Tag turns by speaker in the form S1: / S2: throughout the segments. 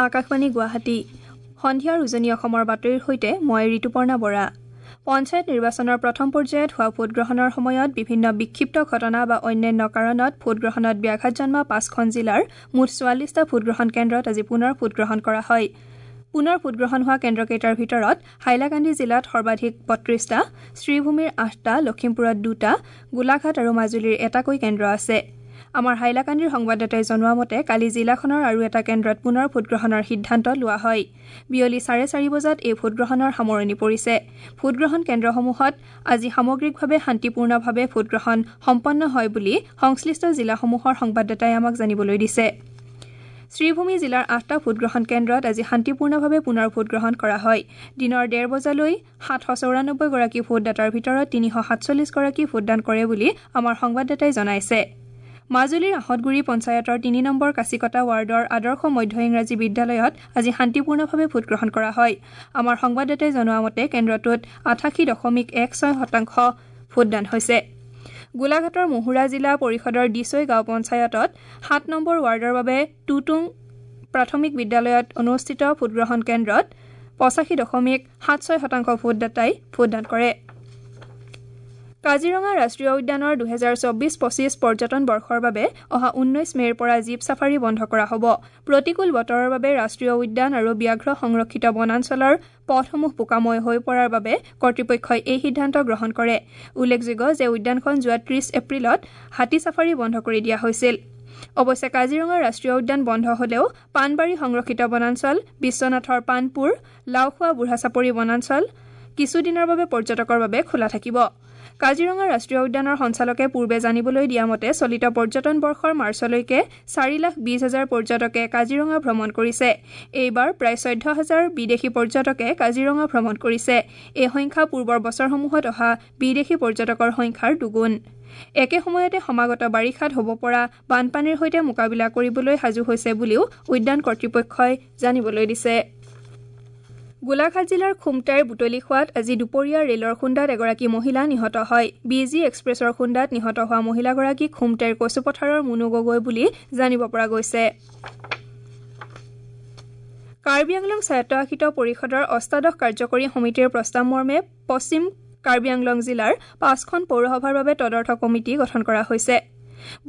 S1: আকাশবাণী গুৱাহাটী। সন্ধিয়াৰ উজনি অসমৰ বাতৰিৰ সৈতে মই ঋতুপৰ্ণা বৰা। পঞ্চায়ত নিৰ্বাচনৰ প্ৰথম পৰ্যায়ত হোৱা ভোটগ্ৰহণৰ সময়ত বিভিন্ন বিক্ষিপ্ত ঘটনা বা অন্যান্য কাৰণত ভোটগ্ৰহণত ব্যাঘাত জন্মা 5খন জিলাৰ মুঠ 44টা ভোটগ্ৰহণ কেন্দ্ৰত আজি পুনৰ ভোটগ্ৰহণ কৰা হয়। পুনৰ ভোটগ্ৰহণ হোৱা কেন্দ্ৰকেইটাৰ ভিতৰত হাইলাকান্দি জিলাত সৰ্বাধিক 32টা, শ্ৰীভূমিৰ 8টা, লখিমপুৰত 2টা, গোলাঘাট আৰু মাজুলীৰ এটাকৈ কেন্দ্ৰ আছে। আমাৰ হাইলাকান্দিৰ সংবাদদাতাই জনোৱা মতে কালি জিলাখনৰ আৰু এটা কেন্দ্ৰত পুনৰ ভোটগ্ৰহণৰ সিদ্ধান্ত লোৱা হয়। বিয়লি 4:30 বজাত এই ভোটগ্ৰহণৰ সামৰণি পৰিছে। ভোটগ্ৰহণ কেন্দ্ৰসমূহত আজি সামগ্ৰিকভাৱে শান্তিপূৰ্ণভাৱে ভোটগ্ৰহণ সম্পন্ন হয় বুলি সংশ্লিষ্ট জিলাসমূহৰ সংবাদদাতাই আমাক জানিবলৈ দিছে। শ্ৰীভূমি জিলাৰ 8টা ভোটগ্ৰহণ কেন্দ্ৰত আজি শান্তিপূৰ্ণভাৱে পুনৰ ভোটগ্ৰহণ কৰা হয়। দিনৰ 1:30 বজালৈ 794 গৰাকী ভোটদাতাৰ ভিতৰত 347 গৰাকী ভোটদান কৰে বুলি আমাৰ সংবাদদাতাই জনাইছে। মাজুলীৰ আহঁতগুৰি পঞ্চায়তৰ 3 নম্বৰ কাচিকটা ৱাৰ্ডৰ আদৰ্শ মধ্য ইংৰাজী বিদ্যালয়ত আজি শান্তিপূৰ্ণভাৱে ভোটগ্ৰহণ কৰা হয়। আমাৰ সংবাদদাতাই জনোৱা মতে কেন্দ্ৰটোত 88.16% ভোটদান হৈছে। গোলাঘাটৰ মহুৰা জিলা পৰিষদৰ দিচৈ গাঁও পঞ্চায়তত 7 নম্বৰ ৱাৰ্ডৰ বাবে টুটুং প্ৰাথমিক বিদ্যালয়ত অনুষ্ঠিত ভোটগ্ৰহণ কেন্দ্ৰত 85.76% ভোটদাতাই ভোটদান কৰে। কাজিৰঙা ৰাষ্ট্ৰীয় উদ্যানৰ 2024-25 পৰ্যটন বৰ্ষৰ বাবে অহা 19 মে'ৰ পৰা জীপ ছাফাৰী বন্ধ কৰা হ'ব। প্ৰতিকূল বতৰৰ বাবে ৰাষ্ট্ৰীয় উদ্যান আৰু ব্যাঘ্ৰ সংৰক্ষিত বনাঞ্চলৰ পথসমূহ বোকাময় হৈ পৰাৰ বাবে কৰ্তৃপক্ষই এই সিদ্ধান্ত গ্ৰহণ কৰে। উল্লেখযোগ্য যে উদ্যানখন যোৱা 30 এপ্ৰিলত হাতী ছাফাৰী বন্ধ কৰি দিয়া হৈছিল। অৱশ্যে কাজিৰঙা ৰাষ্ট্ৰীয় উদ্যান বন্ধ হলেও পাণবাৰী সংৰক্ষিত বনাঞ্চল, বিশ্বনাথৰ পাণপুৰ, লাওখোৱা বুঢ়াচাপৰি বনাঞ্চল কিছুদিনৰ বাবে পৰ্যটকৰ বাবে খোলা থাকিব। কাজিৰঙা ৰাষ্ট্ৰীয় উদ্যানৰ সঞ্চালকে পূৰ্বে জানিবলৈ দিয়া মতে চলিত পৰ্যটন বৰ্ষৰ মাৰ্চলৈকে 4,20,000 পৰ্যটকে কাজিৰঙা ভ্ৰমণ কৰিছে। এইবাৰ প্ৰায় 14,000 বিদেশী পৰ্যটকে কাজিৰঙা ভ্ৰমণ কৰিছে। এই সংখ্যা পূৰ্বৰ বছৰসমূহত অহা বিদেশী পৰ্যটকৰ সংখ্যাৰ দুগুণ। একে সময়তে সমাগত বাৰিষাত হ'ব পৰা বানপানীৰ সৈতে মোকাবিলা কৰিবলৈ সাজু হৈছে বুলিও উদ্যান কৰ্তৃপক্ষই জানিবলৈ দিছে। গোলাঘাট জিলাৰ খুমটাইৰ বুটলিখোৱাত আজি দুপৰীয়া ৰেলৰ খুন্দাত এগৰাকী মহিলা নিহত হয়। বি জি এক্সপ্ৰেছৰ খুন্দাত নিহত হোৱা মহিলাগৰাকী খুমটাইৰ কচুপথাৰৰ মুনু গগৈ বুলি জানিব পৰা গৈছে। কাৰ্বি আংলং স্বায়ত্তশাসিত পৰিষদৰ অষ্টাদশ কাৰ্যকৰী সমিতিৰ প্ৰস্তাৱ মৰ্মে পশ্চিম কাৰ্বি আংলং জিলাৰ 5খন পৌৰসভাৰ বাবে তদৰ্থ কমিটি গঠন কৰা হৈছে।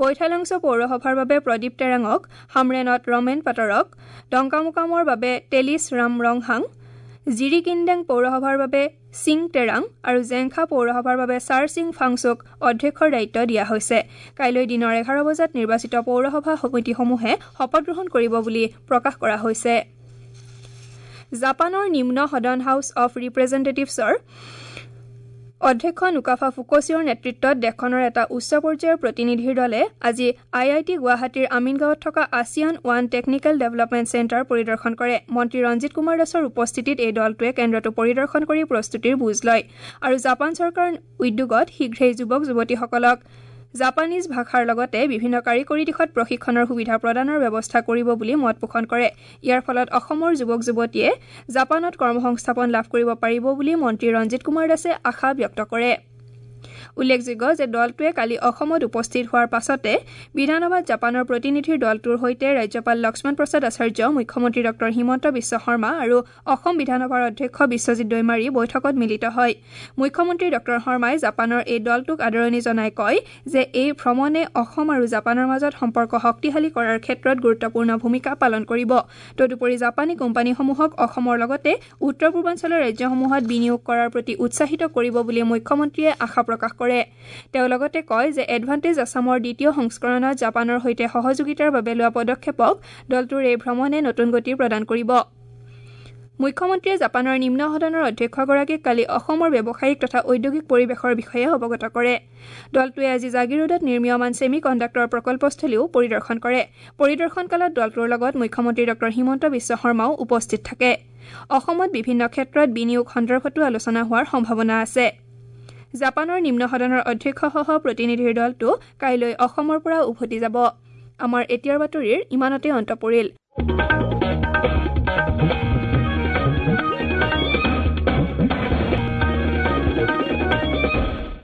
S1: বৈঠালাংছ পৌৰসভাৰ বাবে প্ৰদীপ টেৰাঙক, হামৰেনত ৰমেন পাটৰক, ডংকামুকামৰ বাবে তেলিছ ৰাম ৰংহাং, জিৰিকিন্দেং পৌৰসভাৰ বাবে সিং টেৰাং আৰু জেংখা পৌৰসভাৰ বাবে ছাৰ সিং ফাংচুক অধ্যক্ষৰ দায়িত্ব দিয়া হৈছে। কাইলৈ দিনৰ 11 বজাত নিৰ্বাচিত পৌৰসভা সমিতিসমূহে শপতগ্ৰহণ কৰিব বুলি প্ৰকাশ কৰা হৈছে। জাপানৰ নিম্ন সদন হাউচ অৱ ৰিপ্ৰেজেণ্টেটিভছৰ অধ্যক্ষ নুকাফা ফুকোচিঅ'ৰ নেতৃত্বত দেশখনৰ এটা উচ্চ পৰ্যায়ৰ প্ৰতিনিধিৰ দলে আজি আই I T গুৱাহাটীৰ আমিনগাঁৱত থকা ASEAN one technical development centre পৰিদৰ্শন কৰে। মন্ত্ৰী ৰঞ্জিত কুমাৰ দাসৰ উপস্থিতিত এই দলটোৱে কেন্দ্ৰটো পৰিদৰ্শন কৰি প্ৰস্তুতিৰ বুজ লয় আৰু জাপান চৰকাৰৰ উদ্যোগত শীঘ্ৰেই যুৱক যুৱতীসকলক জাপানীজ ভাষাৰ লগতে বিভিন্ন কাৰিকৰী দিশত প্ৰশিক্ষণৰ সুবিধা প্ৰদানৰ ব্যৱস্থা কৰিব বুলি মত পোষণ কৰে। ইয়াৰ ফলত অসমৰ যুৱক যুৱতীয়ে জাপানত কৰ্মসংস্থাপন লাভ কৰিব পাৰিব বুলি মন্ত্ৰী ৰঞ্জিত কুমাৰ দাসে আশা ব্যক্ত কৰে। উল্লেখযোগ্য যে দলটোৱে কালি অসমত উপস্থিত হোৱাৰ পাছতে বিধানসভাত জাপানৰ প্ৰতিনিধিৰ দলটোৰ সৈতে ৰাজ্যপাল লক্ষ্মণ প্ৰসাদ আচাৰ্য, মুখ্যমন্ত্ৰী ডঃ হিমন্ত বিশ্ব শৰ্মা আৰু অসম বিধানসভাৰ অধ্যক্ষ বিশ্বজিৎ দৈমাৰী বৈঠকত মিলিত হয়। মুখ্যমন্ত্ৰী ডঃ শৰ্মাই জাপানৰ এই দলটোক আদৰণি জনাই কয় যে এই ভ্ৰমণে অসম আৰু জাপানৰ মাজত সম্পৰ্ক শক্তিশালী কৰাৰ ক্ষেত্ৰত গুৰুত্বপূৰ্ণ ভূমিকা পালন কৰিব। তদুপৰি জাপানী কোম্পানীসমূহক অসমৰ লগতে উত্তৰ পূৰ্বাঞ্চলৰ ৰাজ্যসমূহত বিনিয়োগ কৰাৰ প্ৰতি উৎসাহিত কৰিব বুলি মুখ্যমন্ত্ৰীয়ে আশা প্ৰকাশ কৰে। তেওঁ লগতে কয় যে এডভান্টেজ আছামৰ দ্বিতীয় সংস্কৰণত জাপানৰ সৈতে সহযোগিতাৰ বাবে লোৱা পদক্ষেপক দলটোৰ এই ভ্ৰমণে নতুন গতি প্ৰদান কৰিব। মুখ্যমন্ত্ৰীয়ে জাপানৰ নিম্ন সদনৰ অধ্যক্ষগৰাকীক কালি অসমৰ ব্যৱসায়িক তথা ঔদ্যোগিক পৰিৱেশৰ বিষয়ে অৱগত কৰে। দলটোৱে আজি জাগিৰোডত নিৰ্মীয়মান ছেমি কণ্ডাক্টৰ প্ৰকল্পস্থলীও পৰিদৰ্শন কৰে। পৰিদৰ্শনকালত দলটোৰ লগত মুখ্যমন্ত্ৰী ডঃ হিমন্ত বিশ্ব শৰ্মাও উপস্থিত থাকে। অসমত বিভিন্ন ক্ষেত্ৰত বিনিয়োগ সন্দৰ্ভতো আলোচনা হোৱাৰ সম্ভাৱনা আছে। জাপানৰ নিম্ন সদনৰ অধ্যক্ষসহ প্ৰতিনিধিৰ দলটো কাইলৈ অসমৰ পৰা উভতি যাব। আমাৰ এতিয়াৰ বাতৰিৰ ইমানতে অন্ত পৰিল।